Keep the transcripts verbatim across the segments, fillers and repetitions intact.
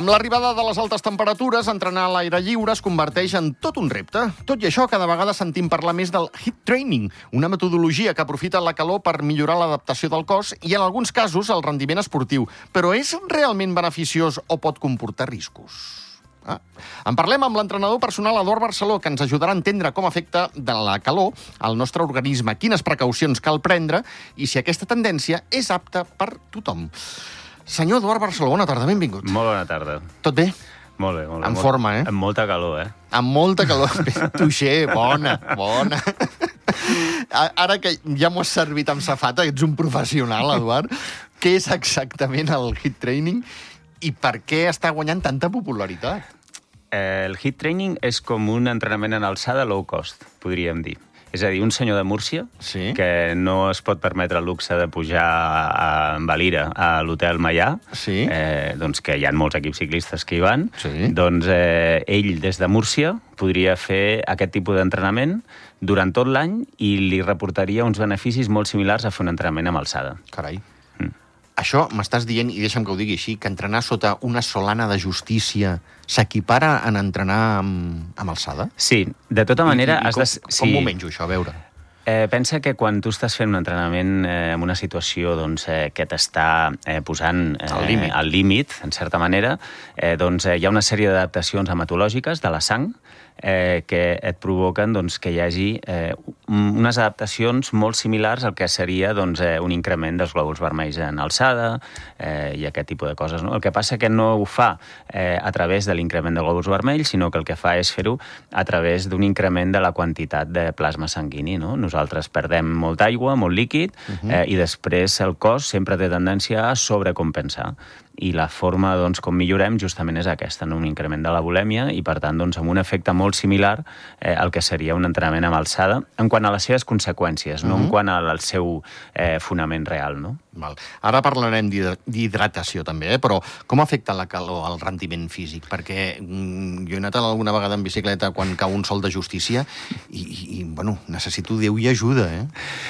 Amb l'arribada de les altes temperatures, entrenar a l'aire lliure es converteix en tot un repte. Tot i això, cada vegada sentim parlar més del HIIT training, una metodologia que aprofita la calor per millorar l'adaptació del cos i, en alguns casos, el rendiment esportiu. Però és realment beneficiós o pot comportar riscos? Ah. En parlem amb l'entrenador personal Eduard Barceló, que ens ajudarà a entendre com afecta de la calor al nostre organisme, quines precaucions cal prendre i si aquesta tendència és apta per tothom. Senyor Eduard Barceló, bona tarda, benvingut. Molt bona tarda. Tot bé? Molt bé, molt bé. En molt... forma, eh? Amb molta calor, eh? Amb molta calor. Tuixer, bona, bona. Ara que ja m'ho has servit amb safata, ets un professional, Eduard, què és exactament el HIIT training i per què està guanyant tanta popularitat? Eh, el HIIT training és com un entrenament en alçada low cost, podríem dir. És a dir, un senyor de Múrcia sí. que no es pot permetre el luxe de pujar a, a Valira, a l'hotel Maià, sí. eh, doncs que hi ha molts equips ciclistes que hi van, sí. doncs eh, ell des de Múrcia podria fer aquest tipus d'entrenament durant tot l'any i li reportaria uns beneficis molt similars a fer un entrenament amb alçada. Carai. Mm. Això m'estàs dient, i deixa'm que ho digui així, que entrenar sota una solana de justícia s'equipara en entrenar amb, amb alçada? Sí, de tota manera... I, i, i has com, de... com sí. m'ho menjo, això, a veure? Eh, pensa que quan tu estàs fent un entrenament eh, en una situació doncs, eh, que t'està eh, posant eh, al límit, al límit, en certa manera, eh, doncs, eh, hi ha una sèrie d'adaptacions hematològiques de la sang eh, que et provoquen doncs, que hi hagi eh, unes adaptacions molt similars al que seria doncs, eh, un increment dels glòbuls vermells en alçada eh, i aquest tipus de coses. No? El que passa que no ho fa eh, a través de l'increment de glòbuls vermells, sinó que el que fa és fer-ho a través d'un increment de la quantitat de plasma sanguini. No? Nosaltres perdem molta aigua, molt líquid, uh-huh. eh, i després el cos sempre té tendència a sobrecompensar. I la forma doncs, com millorem justament és aquesta, no? Un increment de la bulèmia i, per tant, doncs, amb un efecte molt similar eh, al que seria un entrenament amb alçada en quant a les seves conseqüències, uh-huh. no en quant al seu eh, fonament real. No? Val. Ara parlarem d'hidratació també, eh? Però com afecta la calor al rendiment físic? Perquè mm, jo he anat alguna vegada en bicicleta quan cau un sol de justícia i, i, i bueno, necessito Déu i ajuda. Eh?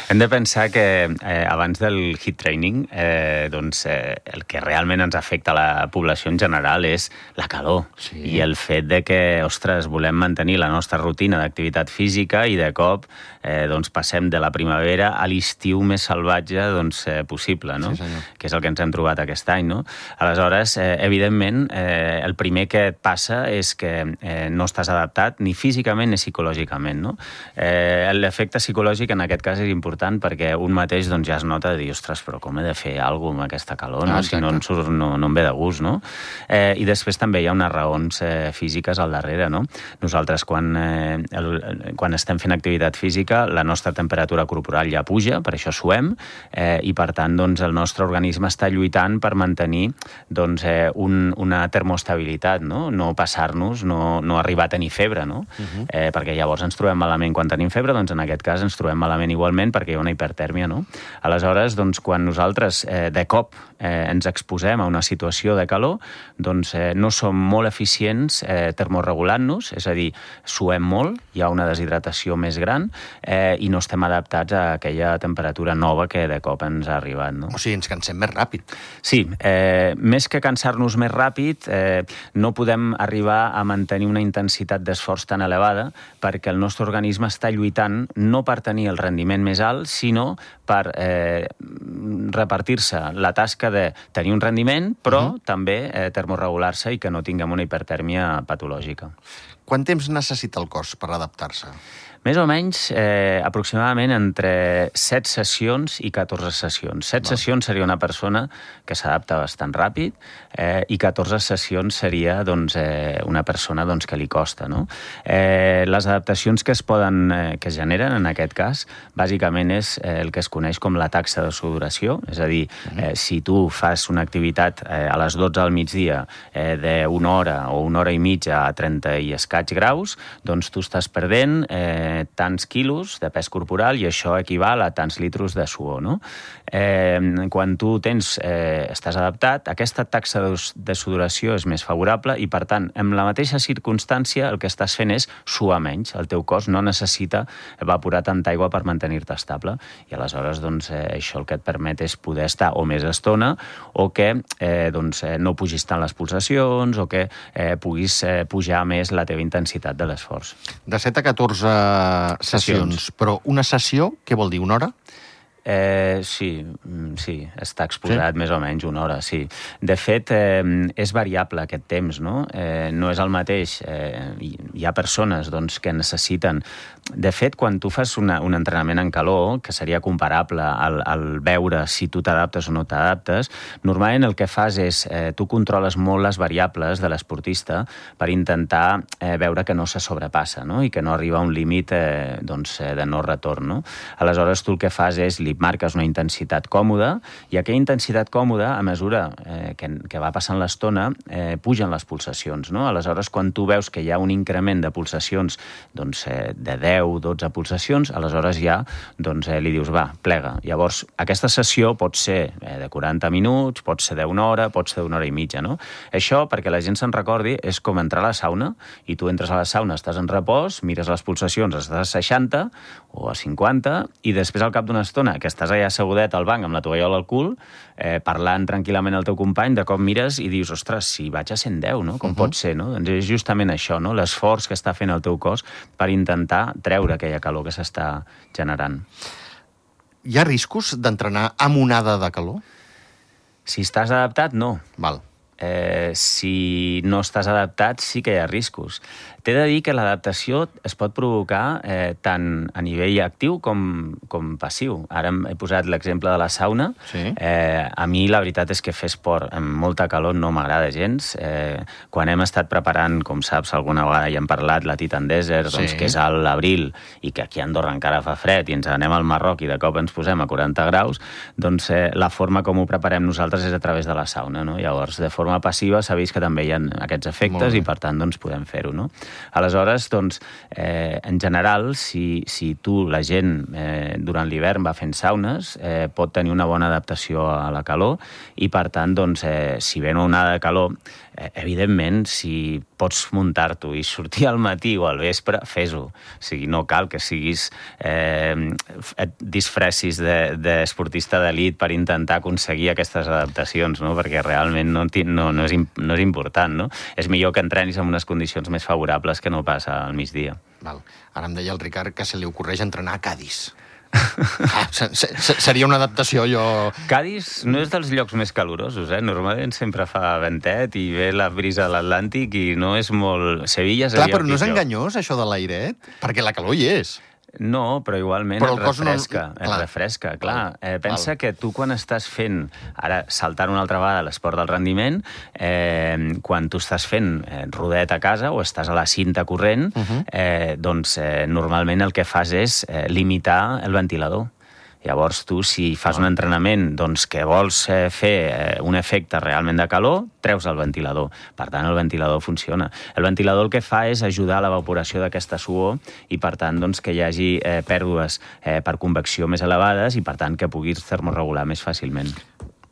Hem de pensar que eh, abans del HIIT training eh, doncs, eh, el que realment ens afecta a la població en general és la calor sí. i el fet de que, ostres, volem mantenir la nostra rutina d'activitat física i de cop eh, doncs, passem de la primavera a l'estiu més salvatge doncs, eh, possible, no? Sí, que és el que ens hem trobat aquest any. No? Aleshores, eh, evidentment, eh, el primer que et passa és que eh, no estàs adaptat ni físicament ni psicològicament. No? Eh, l'efecte psicològic en aquest cas és important perquè un mateix doncs, ja es nota de dir, ostres, però com he de fer alguna cosa amb aquesta calor? No? Ah, si no, no, no, no em ve de gust. No? Eh, I després també hi ha unes raons eh, físiques al darrere. No? Nosaltres, quan, eh, el, quan estem fent activitat física, la nostra temperatura corporal ja puja, per això suem, eh, i per tant doncs, el nostre organisme està lluitant per mantenir doncs, eh, un, una termoestabilitat, no, no passar-nos, no, no arribar a tenir febre, no? Uh-huh. eh, perquè llavors ens trobem malament quan tenim febre, doncs en aquest cas ens trobem malament igualment perquè hi ha una hipertèrmia. No? Aleshores, doncs, quan nosaltres eh, de cop eh, ens exposem a una situació de calor, doncs eh, no som molt eficients eh, termorregulant-nos, és a dir, suem molt, hi ha una deshidratació més gran eh, i no estem adaptats a aquella temperatura nova que de cop ens ha arribat. No? O sigui, ens cansem més ràpid. Sí, eh, més que cansar-nos més ràpid, eh, no podem arribar a mantenir una intensitat d'esforç tan elevada perquè el nostre organisme està lluitant no per tenir el rendiment més alt, sinó per eh, repartir-se la tasca de tenir un rendiment, però uh-huh. també eh, termorregular-se i que no tinguem una hipertèrmia patològica. Quant temps necessita el cos per adaptar-se? Més o menys, eh, aproximadament entre set sessions i catorze sessions. set Val. Sessions seria una persona que s'adapta bastant ràpid eh, i catorze sessions seria doncs, eh, una persona doncs, que li costa. No? Eh, les adaptacions que es poden, eh, que es generen en aquest cas, bàsicament és eh, el que es coneix com la taxa de sudoració, és a dir, eh, si tu fas una activitat eh, a les dotze del migdia eh, d'una hora o una hora i mitja a trenta i escaig graus, doncs tu estàs perdent eh, eh, tants quilos de pes corporal i això equival a tants litros de suor, no? Eh, quan tu tens, eh, estàs adaptat, aquesta taxa de sudoració és més favorable i, per tant, en la mateixa circumstància el que estàs fent és suar menys. El teu cos no necessita evaporar tanta aigua per mantenir-te estable i aleshores doncs, eh, això el que et permet és poder estar o més estona o que eh, doncs, eh, no pugis tant les pulsacions o que eh, puguis eh, pujar més la teva intensitat de l'esforç. De set a catorze sessions, sessions. Però una sessió, què vol dir, una hora? Eh, sí, sí, està exposat sí? més o menys una hora, sí. De fet, eh, és variable aquest temps, no? Eh, no és el mateix. Eh, hi ha persones doncs, que necessiten... De fet, quan tu fas una, un entrenament en calor, que seria comparable al, al veure si tu t'adaptes o no t'adaptes, normalment el que fas és, eh, tu controles molt les variables de l'esportista per intentar eh, veure que no se sobrepassa, no? I que no arriba a un límit eh, doncs, eh, de no retorn, no? Aleshores, tu el que fas és li marques una intensitat còmoda i aquella intensitat còmoda, a mesura eh, que, que va passant l'estona, eh, pugen les pulsacions, no? Aleshores, quan tu veus que hi ha un increment de pulsacions doncs, eh, de deu o dotze pulsacions, aleshores ja doncs, eh, li dius, va, plega. Llavors, aquesta sessió pot ser eh, de quaranta minuts, pot ser d'una hora, pot ser d'una hora i mitja, no? Això, perquè la gent se'n recordi, és com entrar a la sauna i tu entres a la sauna, estàs en repòs, mires les pulsacions, estàs a seixanta o a cinquanta i després, al cap d'una estona, que estàs allà assegudet al banc amb la tovallola al cul, eh, parlant tranquil·lament al teu company, de cop mires i dius, ostres, si vaig a cent deu, no? Com uh -huh. pot ser, no? Doncs és justament això, no? L'esforç que està fent el teu cos per intentar treure aquella calor que s'està generant. Hi ha riscos d'entrenar amb onada de calor? Si estàs adaptat, no. Val. Eh, si no estàs adaptat, sí que hi ha riscos. T'he de dir que l'adaptació es pot provocar eh, tant a nivell actiu com, com passiu. Ara he posat l'exemple de la sauna. Sí. Eh, a mi la veritat és que fer esport amb molta calor no m'agrada gens. Eh, quan hem estat preparant, com saps, alguna vegada ja hem parlat, la Titan Desert, doncs, sí. que és a l'abril i que aquí a Andorra encara fa fred i ens anem al Marroc i de cop ens posem a quaranta graus, doncs eh, la forma com ho preparem nosaltres és a través de la sauna, no? Llavors, de forma passiva s'ha vist que també hi ha aquests efectes i, per tant, doncs, podem fer-ho, no? Aleshores, doncs, eh, en general, si, si tu, la gent, eh, durant l'hivern va fent saunes, eh, pot tenir una bona adaptació a la calor i, per tant, doncs, eh, si ve una onada de calor, eh, evidentment, si pots muntar-t'ho i sortir al matí o al vespre, fes-ho. O sigui, no cal que siguis, eh, et disfressis d'esportista de, d'elit per intentar aconseguir aquestes adaptacions, no? Perquè realment no, no, no, és, no és important, no? És millor que entrenis en unes condicions més favorables que no passa al migdia. Val. Ara em deia el Ricard que se li ocorreix entrenar a Cadis. Ah, seria una adaptació, jo... Cadis no és dels llocs més calorosos, eh? Normalment sempre fa ventet i ve la brisa de l'Atlàntic i no és molt... Sevilla seria... Clar, però no és enganyós, això de l'airet? Perquè la calor hi és. No, però igualment però et refresca, no... et refresca, clar. Eh, pensa Val. que tu quan estàs fent, ara saltant una altra vegada l'esport del rendiment, eh, quan tu estàs fent eh, rodet a casa o estàs a la cinta corrent, uh -huh. eh, doncs eh, normalment el que fas és eh, limitar el ventilador. Llavors, tu, si fas un entrenament doncs, que vols eh, fer eh, un efecte realment de calor, treus el ventilador. Per tant, el ventilador funciona. El ventilador el que fa és ajudar a l'evaporació d'aquesta suor i, per tant, doncs, que hi hagi eh, pèrdues eh, per convecció més elevades i, per tant, que puguis termorregular més fàcilment.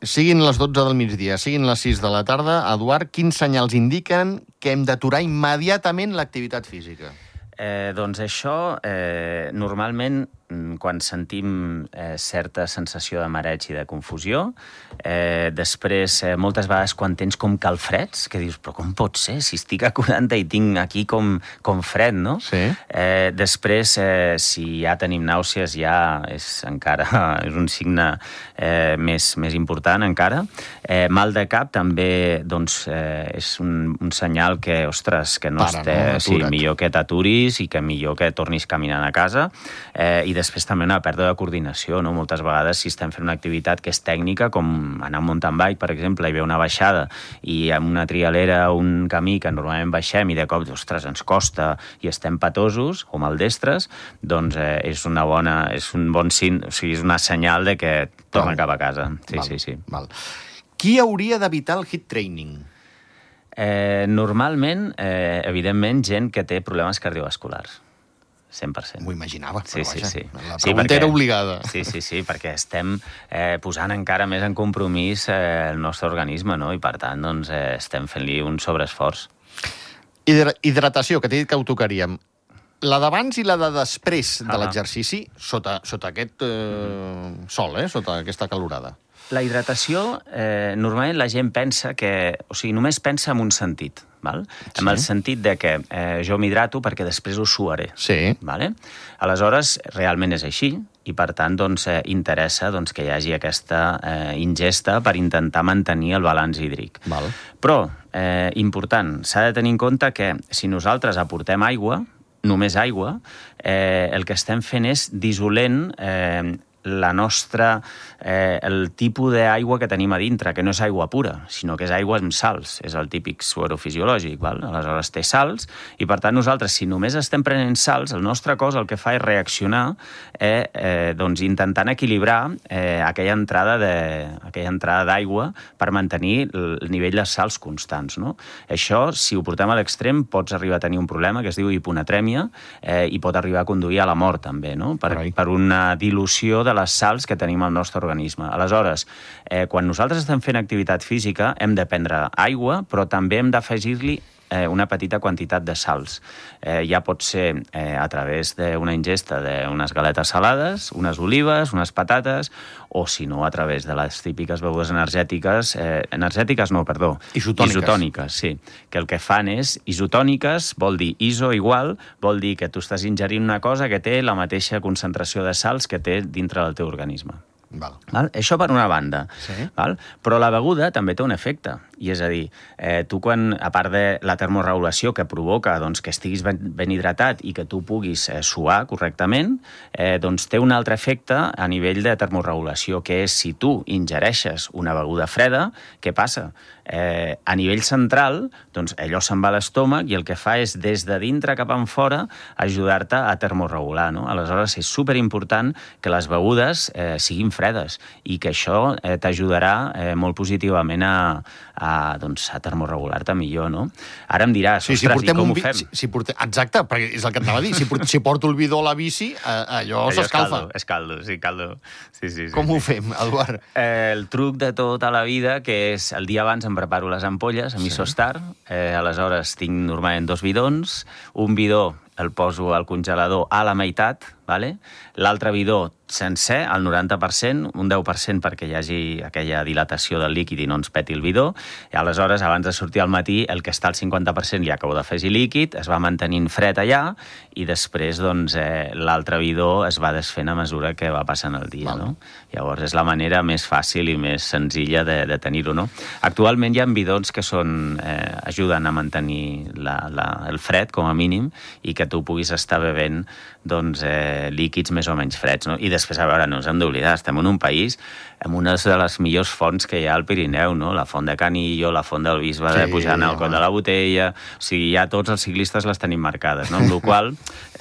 Siguin les dotze del migdia, siguin les sis de la tarda, Eduard, quins senyals indiquen que hem d'aturar immediatament l'activitat física? Eh, doncs això, eh, normalment, quan sentim eh, certa sensació de mareig i de confusió, eh, després, eh, moltes vegades, quan tens com calfreds, que dius, però com pot ser? Si estic a quaranta i tinc aquí com, com fred, no? Sí. Eh, després, eh, si ja tenim nàusees, ja és encara és un signe eh, més, més important encara. Eh, mal de cap també doncs, eh, és un, un senyal que, ostres, que no Para, esté... no? Sí, millor que t'aturis i que millor que tornis caminant a casa. Eh, I després també una pèrdua de coordinació, no? Moltes vegades, si estem fent una activitat que és tècnica, com anar a mountain bike, per exemple, i ve una baixada i amb una trialera o un camí que normalment baixem i de cop, ostres, ens costa i estem patosos o maldestres, doncs eh, és una bona, és un bon sign, o sigui, és una senyal de que torna cap a casa. Sí, val, sí, sí. Val. Qui hauria d'evitar el hit training? Eh, normalment, eh, evidentment, gent que té problemes cardiovasculars. cent per cent. M'ho imaginava, sí, però vaja, sí, sí. la pregunta sí, perquè, era obligada. Sí, sí, sí, perquè estem eh, posant encara més en compromís eh, el nostre organisme, no? I per tant, doncs, eh, estem fent-li un sobreesforç. Hidra hidratació, que t'he dit que ho tocaríem. La d'abans i la de després de Ah. l'exercici, sota, sota aquest eh, sol, eh, sota aquesta calorada. La hidratació, eh, normalment la gent pensa que... O sigui, només pensa en un sentit, val? Sí. En el sentit de que eh, jo m'hidrato perquè després ho suaré. Sí. Vale? Aleshores, realment és així, i per tant doncs, eh, interessa doncs, que hi hagi aquesta eh, ingesta per intentar mantenir el balanç hídric. Val. Però, eh, important, s'ha de tenir en compte que si nosaltres aportem aigua, només aigua, eh, el que estem fent és dissolent eh, la nostra, eh, el tipus d'aigua que tenim a dintre, que no és aigua pura, sinó que és aigua amb sals, és el típic suero fisiològic, val? Aleshores té sals, i per tant nosaltres, si només estem prenent sals, el nostre cos el que fa és reaccionar, eh, eh, doncs intentant equilibrar eh, aquella entrada de, aquella entrada d'aigua per mantenir el nivell de sals constants, no? Això, si ho portem a l'extrem, pots arribar a tenir un problema que es diu hiponatrèmia eh, i pot arribar a conduir a la mort, també, no? Per, per una dilució de les sals que tenim al nostre organisme. Aleshores, eh, quan nosaltres estem fent activitat física, hem de prendre aigua, però també hem d'afegir-li eh, una petita quantitat de sals. Eh, ja pot ser eh, a través d'una ingesta d'unes galetes salades, unes olives, unes patates, o si no, a través de les típiques begudes energètiques, eh, energètiques no, perdó, isotòniques. isotòniques, sí, que el que fan és, isotòniques vol dir iso igual, vol dir que tu estàs ingerint una cosa que té la mateixa concentració de sals que té dintre del teu organisme. Val. Val? Això per una banda. Sí. Val? Però la beguda també té un efecte. I és a dir, eh, tu quan, a part de la termorregulació que provoca doncs, que estiguis ben, ben hidratat i que tu puguis eh, suar correctament, eh, doncs té un altre efecte a nivell de termorregulació, que és si tu ingereixes una beguda freda, què passa? Eh, a nivell central, doncs allò se'n va a l'estómac i el que fa és des de dintre cap en fora ajudar-te a termorregular, no? Aleshores és superimportant que les begudes eh, siguin fredes i que això eh, t'ajudarà eh, molt positivament a, a, doncs, a termorregular-te millor, no? Ara em diràs, sí, si ostres, i com ho vi... fem? Si, si portem... Exacte, perquè és el que t'anava a dir. Si, port... si porto el bidó a la bici, eh, allò, allò s'escalfa. És caldo, és caldo, sí, caldo. Sí, sí, sí, com sí. ho fem, Eduard? Eh, el truc de tota la vida, que és el dia abans em preparo les ampolles amb Sí. Isostar, eh, aleshores tinc normalment dos bidons, un bidó el poso al congelador a la meitat, vale? L'altre bidó sencer, al noranta per cent, un deu per cent perquè hi hagi aquella dilatació del líquid i no ens peti el bidó, i aleshores, abans de sortir al matí, el que està al cinquanta per cent li acabo d'afegir líquid, es va mantenint fred allà, i després, doncs, eh, l'altre bidó es va desfent a mesura que va passant el dia, Val. no? Llavors, és la manera més fàcil i més senzilla de, de tenir-ho, no? Actualment hi ha bidons que són, eh, ajuden a mantenir la, la, el fred, com a mínim, i que tu puguis estar bevent doncs, eh, líquids més o menys freds, no? I després, a veure, no ens hem d'oblidar, estem en un país amb una de les millors fonts que hi ha al Pirineu, no? La font de Canillo, la font del Bisbe Sí, de Pujant al Coll home. de la Botella, o sigui, ja tots els ciclistes les tenim marcades, no? Amb la qual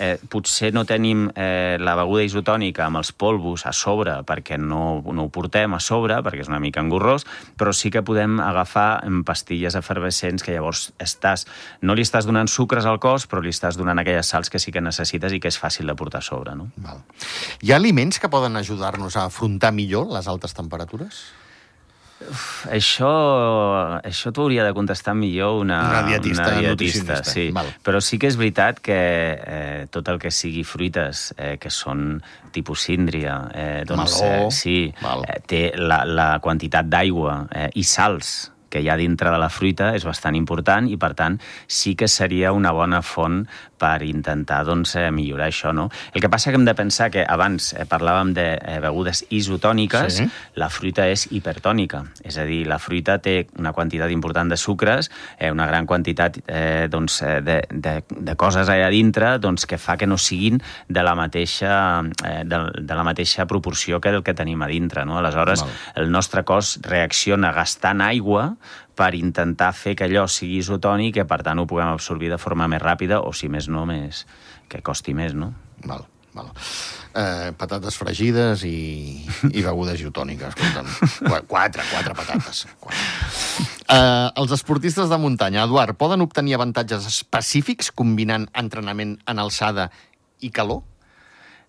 eh, potser no tenim eh, la beguda isotònica amb els polvos a sobre perquè no, no ho portem a sobre, perquè és una mica engorrós, però sí que podem agafar pastilles efervescents que llavors estàs, no li estàs donant sucres al cos, però li estàs donant aquelles sals que sí que necessites i que és fàcil de portar a sobre, no? Val. Hi ha aliments que poden ajudar-nos a afrontar millor les altes temperatures? Això, això t'ho hauria de contestar millor una, Una dietista, una una dietista, nutricionista. sí. Val. Però sí que és veritat que eh, tot el que sigui fruites, eh, que són tipus síndria, eh, doncs, Meló. eh, sí, Val. eh, té la, la quantitat d'aigua eh, i sals que hi ha dintre de la fruita és bastant important i, per tant, sí que seria una bona font per intentar doncs, eh, millorar això, no? El que passa que hem de pensar que abans eh, parlàvem de eh, begudes isotòniques, Sí. la fruita és hipertònica, és a dir, la fruita té una quantitat important de sucres, eh, una gran quantitat eh, doncs, eh, de, de, de coses allà dintre doncs, que fa que no siguin de la mateixa, eh, de, de la mateixa proporció que el que tenim a dintre, no? Aleshores, Val. el nostre cos reacciona gastant aigua per intentar fer que allò sigui isotònic i, per tant, ho puguem absorbir de forma més ràpida o, si més no, més, que costi més, no? Val, val. Eh, patates fregides i, i begudes isotòniques, escolta'm. Qu- Quatre, quatre patates. Quatre. Eh, els esportistes de muntanya, Eduard, poden obtenir avantatges específics combinant entrenament en alçada i calor?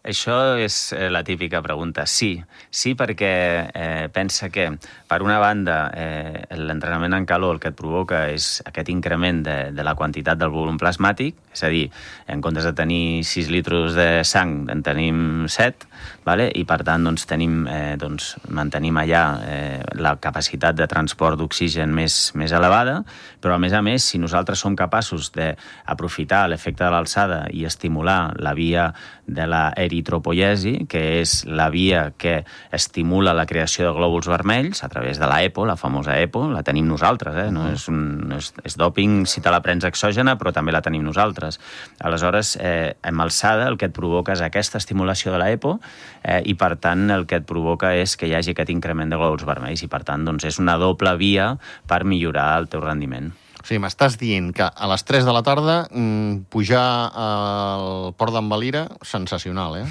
Això és la típica pregunta. Sí, sí perquè eh, pensa que, per una banda, eh, l'entrenament en calor el que et provoca és aquest increment de, de la quantitat del volum plasmàtic, és a dir, en comptes de tenir sis litres de sang, en tenim set, vale? I per tant doncs, tenim, eh, doncs, mantenim allà eh, la capacitat de transport d'oxigen més, més elevada, però a més a més, si nosaltres som capaços d'aprofitar l'efecte de l'alçada i estimular la via de la eritropoiesi, que és la via que estimula la creació de glòbuls vermells a través de la EPO, la famosa EPO, la tenim nosaltres, eh? No és, un, no és, és dòping si te la prens exògena, però també la tenim nosaltres. Aleshores, eh, amb alçada el que et provoca és aquesta estimulació de la EPO eh, i, per tant, el que et provoca és que hi hagi aquest increment de glòbuls vermells i, per tant, doncs, és una doble via per millorar el teu rendiment. O sigui, m'estàs dient que a les tres de la tarda mmm, pujar al Port d'en Valira, sensacional, eh?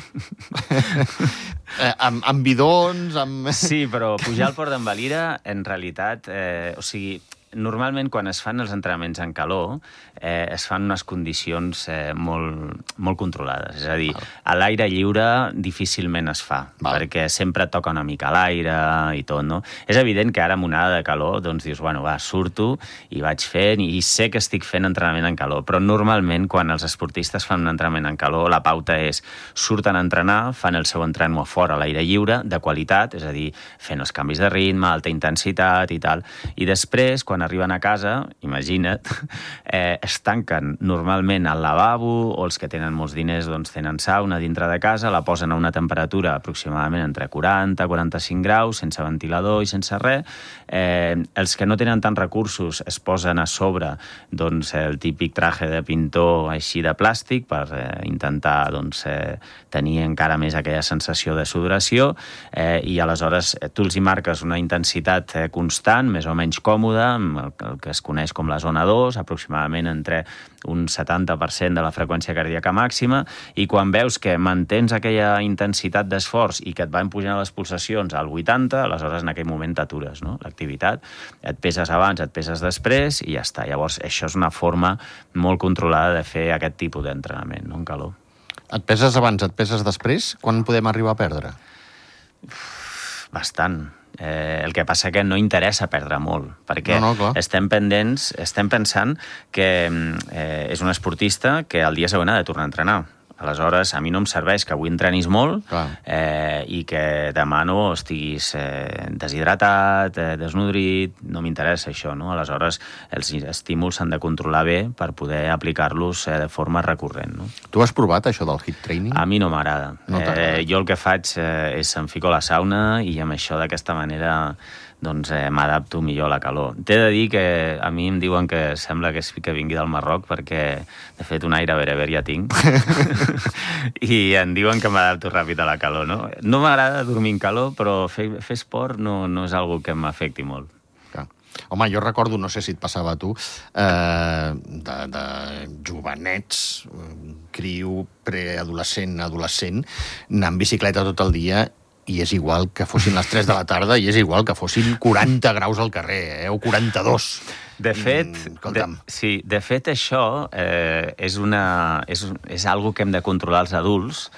eh amb, amb bidons, amb... Sí, però pujar al Port d'en Valira, en realitat, eh, o sigui, normalment quan es fan els entrenaments en calor eh, es fan unes condicions eh, molt, molt controlades. És a dir, Val. a l'aire lliure difícilment es fa, Val. perquè sempre toca una mica l'aire i tot, no? És evident que ara amb una onada de calor doncs dius, bueno, va, surto i vaig fent i sé que estic fent entrenament en calor, però normalment quan els esportistes fan un entrenament en calor la pauta és surten a entrenar, fan el seu entrenament a fora a l'aire lliure, de qualitat, és a dir, fent els canvis de ritme, alta intensitat i tal, i després, quan arriben a casa, imagina't, eh, es tanquen normalment al lavabo, o els que tenen molts diners doncs tenen sauna dintre de casa, la posen a una temperatura aproximadament entre quaranta i quaranta-cinc graus, sense ventilador i sense res. Eh, els que no tenen tants recursos es posen a sobre doncs, el típic traje de pintor així de plàstic per eh, intentar doncs, eh, tenir encara més aquella sensació de sudoració eh, i aleshores eh, tu els hi marques una intensitat eh, constant, més o menys còmoda, el, el que es coneix com la zona dos, aproximadament entre un setanta per cent de la freqüència cardíaca màxima, i quan veus que mantens aquella intensitat d'esforç i que et van pujant les pulsacions al vuitanta, aleshores en aquell moment t'atures, no? L'activitat, et peses abans, et peses després i ja està. Llavors, això és una forma molt controlada de fer aquest tipus d'entrenament, no? En calor. Et peses abans, et peses després? Quan podem arribar a perdre? Bastant. Eh, el que passa que no interessa perdre molt, perquè no, no, estem pendents, estem pensant que eh, és un esportista que al dia següent ha de tornar a entrenar. Aleshores, a mi no em serveix que avui entrenis molt eh, i que demà no estiguis eh, deshidratat, eh, desnodrit, no m'interessa això, no? Aleshores, els estímuls s'han de controlar bé per poder aplicar-los eh, de forma recurrent, no? Tu has provat això del HIIT training? A mi no m'agrada. No eh, jo el que faig eh, és em fico a la sauna i amb això d'aquesta manera doncs eh, m'adapto millor a la calor. T'he de dir que a mi em diuen que sembla que, que vingui del Marroc perquè, de fet, un aire bereber ja tinc i em diuen que m'adapto ràpid a la calor, no? No m'agrada dormir en calor, però fer, fer esport no, no és algo que m'afecti molt. Clar. Home, jo recordo, no sé si et passava a tu, eh, de, de jovenets, criu, preadolescent, adolescent, anar en bicicleta tot el dia i és igual que fossin les tres de la tarda i és igual que fossin quaranta graus al carrer, eh? O quaranta-dos. De fet, mm, de, sí, de fet això eh, és, una, és, és algo que hem de controlar els adults,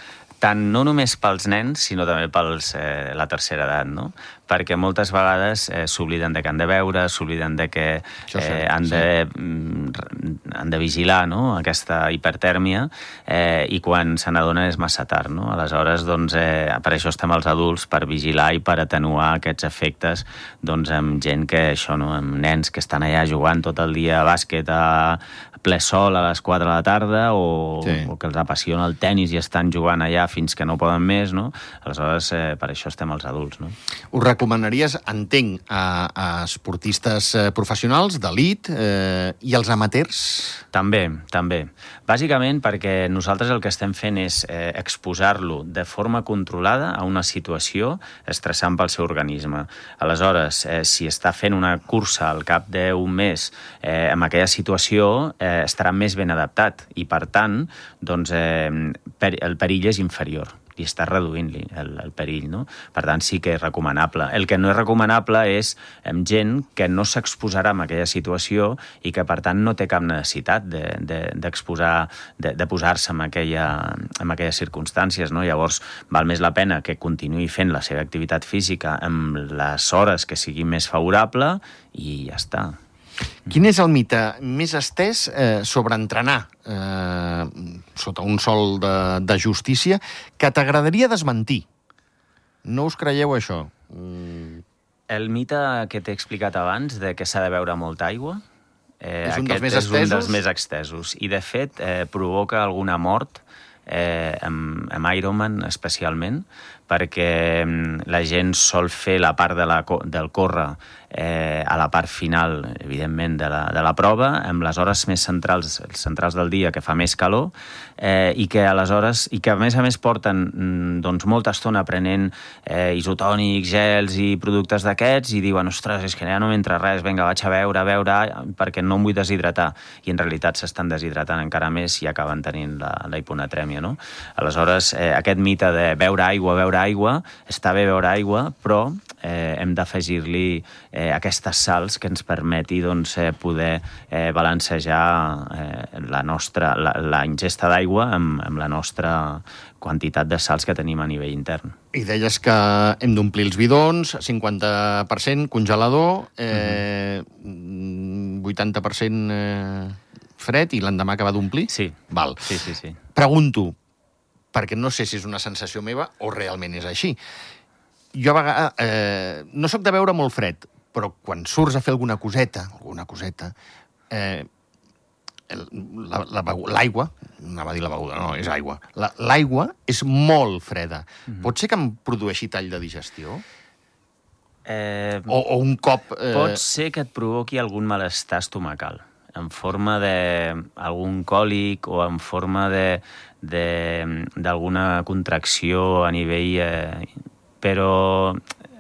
tant no només pels nens, sinó també pels eh, la tercera edat, no? Perquè moltes vegades eh, s'obliden de que han de beure, s'obliden de que eh, han, de, sí. han de vigilar, no? Aquesta hipertèrmia eh, i quan se n'adonen és massa tard, no? Aleshores, doncs, eh, per això estem els adults, per vigilar i per atenuar aquests efectes doncs, amb gent que això, no? Amb nens que estan allà jugant tot el dia a bàsquet a ple sol a les quatre de la tarda o, sí. o que els apassiona el tennis i estan jugant allà fins que no poden més, no? Aleshores, eh, per això estem els adults, no? Ho recomanaries, entenc, a, a esportistes eh, professionals, d'elit, eh, i als amateurs? També, també. Bàsicament perquè nosaltres el que estem fent és eh, exposar-lo de forma controlada a una situació estressant pel seu organisme. Aleshores, eh, si està fent una cursa al cap d'un mes eh, amb aquella situació, eh, estarà més ben adaptat i, per tant, doncs, eh, per, el perill és inferior. i estàs reduint-li el, el perill, no? Per tant, sí que és recomanable. El que no és recomanable és amb gent que no s'exposarà en aquella situació i que, per tant, no té cap necessitat d'exposar, de, de, de posar-se en, aquella, en aquelles circumstàncies, no? Llavors, val més la pena que continuï fent la seva activitat física amb les hores que sigui més favorable i ja està. Quin és el mite més estès eh, sobre entrenar eh, sota un sol de, de justícia que t'agradaria desmentir? No us creieu això? Mm. El mite que t'he explicat abans, de que s'ha de beure molta aigua, eh, és un dels més és estesos? un dels més extesos. I, de fet, eh, provoca alguna mort, eh, amb, amb Ironman especialment, perquè la gent sol fer la part de la, del córrer eh, a la part final, evidentment, de la, de la prova, amb les hores més centrals, centrals del dia, que fa més calor, eh, i que aleshores, i que a més a més porten doncs, molta estona prenent eh, isotònics, gels i productes d'aquests, i diuen, ostres, és que ja no m'entra res, vinga, vaig a beure, a beure, perquè no em vull deshidratar. I en realitat s'estan deshidratant encara més i acaben tenint la, la hiponatrèmia, no? Aleshores, eh, aquest mite de beure aigua, beure aigua, està bé beure aigua, però eh, hem d'afegir-li eh, aquestes sals que ens permeti doncs, eh, poder eh, balancejar eh, la nostra, la, la ingesta d'aigua amb, amb la nostra quantitat de sals que tenim a nivell intern. I deies que hem d'omplir els bidons, cinquanta per cent congelador, eh, uh-huh. vuitanta per cent eh, fred, i l'endemà acabar d'omplir? Sí. Val. Sí, sí, sí. Pregunto, perquè no sé si és una sensació meva o realment és així. Jo a vegades eh, no sóc de beure molt fred, però quan surts a fer alguna coseta, alguna coseta, eh, l'aigua, anava a dir la beguda, no, és aigua, l'aigua és molt freda. Mm-hmm. Pot ser que em produeixi tall de digestió? Eh, o, o un cop... Eh... Pot ser que et provoqui algun malestar estomacal, en forma d'algun còlic o en forma de d'alguna contracció a nivell... Eh, però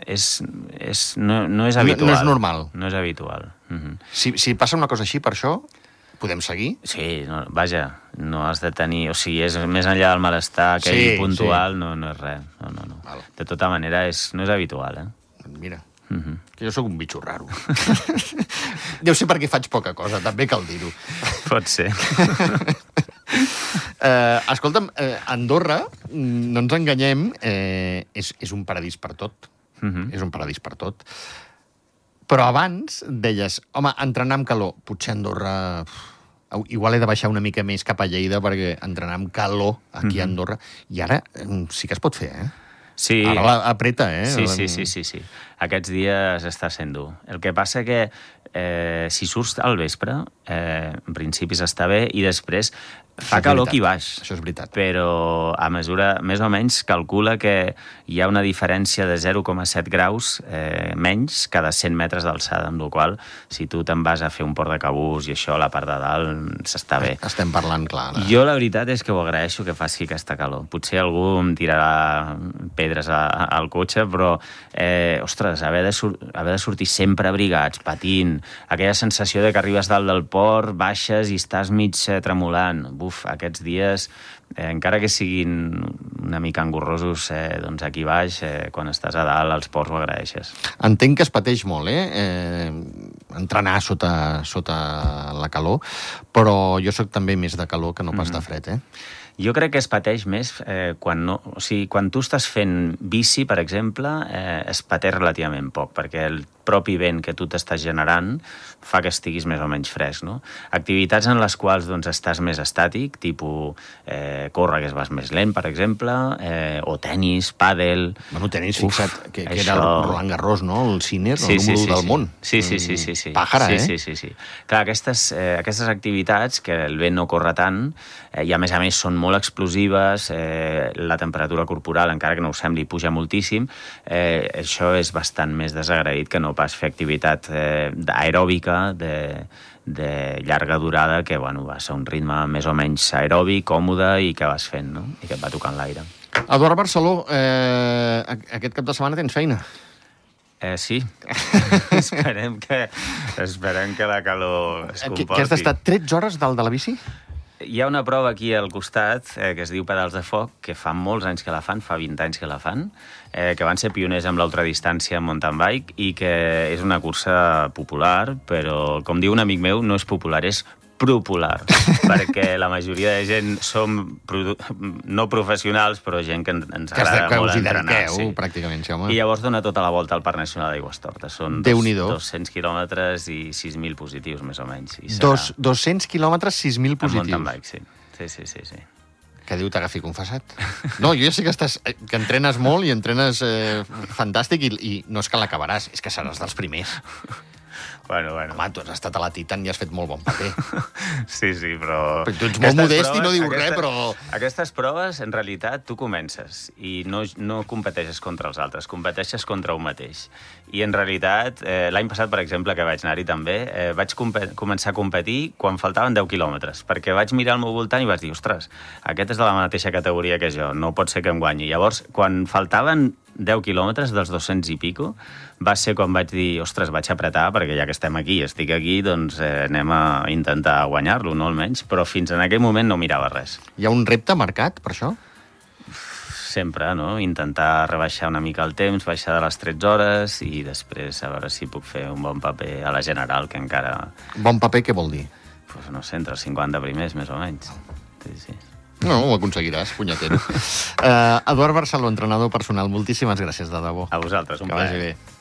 és, és, no, no és habitual. No, no és normal. No és habitual. Uh-huh. Si, si passa una cosa així, per això, podem seguir? Sí, no, vaja, no has de tenir... O sigui, és més enllà del malestar aquell sí, puntual, sí. no, no és res. No, no, no. Val. De tota manera, és, no és habitual, eh? Mira, uh-huh. que jo sóc un bitxo raro. Deu ser perquè faig poca cosa, també cal dir-ho. Pot ser. Uh, escolta'm, uh, Andorra, no ens enganyem, eh, és, és un paradís per tot. Uh-huh. És un paradís per tot. Però abans deies, home, entrenar amb calor. Potser Andorra... Igual he de baixar una mica més cap a Lleida perquè entrenar amb calor aquí uh-huh. a Andorra. I ara sí que es pot fer, eh? Sí. Ara l'apreta, eh? Sí, sí, sí, sí, sí. Aquests dies està sent dur. El que passa que eh, si surts al vespre, eh, en principi s'està bé, i després fa calor aquí baix. Això és veritat. Però a mesura, més o menys, calcula que hi ha una diferència de zero coma set graus eh, menys cada cent metres d'alçada, amb la qual si tu te'n vas a fer un port de cabús i això a la part de dalt s'està bé. Estem parlant clar. Eh? Jo la veritat és que ho agraeixo que faci aquesta calor. Potser algú em tirarà pedres a, a, al cotxe, però eh, ostres, haver de, sur haver de sortir sempre abrigats, patint, aquella sensació de que arribes dalt del port, baixes i estàs mig eh, tremolant. Uf, aquests dies, eh, encara que siguin una mica engorrosos, eh, doncs aquí baix, eh, quan estàs a dalt, als ports ho agraeixes. Entenc que es pateix molt, eh? eh entrenar sota, sota la calor, però jo sóc també més de calor que no pas de fred, eh? Jo crec que es pateix més eh, quan, no, o sigui, quan tu estàs fent bici, per exemple, eh, es pateix relativament poc, perquè el propi vent que tu t'estàs generant fa que estiguis més o menys fresc, no? Activitats en les quals doncs, estàs més estàtic, tipus eh, córrer, que es vas més lent, per exemple, eh, o tenis, pàdel... Bueno, tenis, Uf, fixa't, que, que això... era el Roland Garros, no? El Sinner, sí, el número sí, sí, del sí. món. Sí, sí, sí. sí, sí. Pàjara, sí, eh? Sí, sí, sí. Clar, aquestes, eh, aquestes activitats, que el vent no corre tant, eh, i a més a més són molt explosives, eh, la temperatura corporal, encara que no ho sembli, puja moltíssim, eh, això és bastant més desagraït que no pas fer activitat eh, aeròbica de, de llarga durada, que bueno, va ser un ritme més o menys aeròbic, còmode, i que vas fent, no? I que et va tocant l'aire. Eduard Barceló, eh, aquest cap de setmana tens feina? Eh, sí. esperem, que, esperem que la calor es comporti. Que has d'estar tretze hores dalt de la bici? Hi ha una prova aquí al costat eh, que es diu Pedals de Foc, que fa molts anys que la fan, fa vint anys que la fan, eh, que van ser pioners amb l'ultradistància en mountain bike i que és una cursa popular, però, com diu un amic meu, no és popular, és popular, perquè la majoria de gent som no professionals, però gent que ens agrada que molt us hi entrenar. dediqueu, Sí. pràcticament, sí, home. I llavors dona tota la volta al Parc Nacional d'Aigüestortes. Són dos, dos-cents quilòmetres i sis mil positius, més o menys. I serà... Dos, dos-cents quilòmetres, sis mil positius. En mountain bike, sí. Sí, sí, sí, sí. Que Déu t'agafi confessat. No, jo ja sé que, estàs, que entrenes molt i entrenes eh, fantàstic i, i no és que l'acabaràs, és que seràs dels primers. Bueno, bueno. Home, tu has estat a la Titan i has fet molt bon paper. Sí, sí, però... Però tu ets molt modest proves, i no dius aquesta, res, però... Aquestes proves, en realitat, tu comences i no, no competeixes contra els altres, competeixes contra un mateix. I, en realitat, eh, l'any passat, per exemple, que vaig anar-hi també, eh, vaig començar a competir quan faltaven deu quilòmetres, perquè vaig mirar al meu voltant i vaig dir, ostres, aquest és de la mateixa categoria que jo, no pot ser que em guanyi. Llavors, quan faltaven deu quilòmetres dels dos-cents i pico, va ser quan vaig dir, ostres, vaig apretar, perquè ja que estem aquí, estic aquí, doncs eh, anem a intentar guanyar-lo, no almenys, però fins en aquell moment no mirava res. Hi ha un repte marcat per això? Sempre, no? Intentar rebaixar una mica el temps, baixar de les tretze hores i després a veure si puc fer un bon paper a la general, que encara... Bon paper què vol dir? Pues no sé, entre els cinquanta primers, més o menys. Sí, sí. No, ho aconseguiràs, punyetero. uh, Eduard Barceló, entrenador personal, moltíssimes gràcies, de debò. A vosaltres, un plaer. Que vagi bé.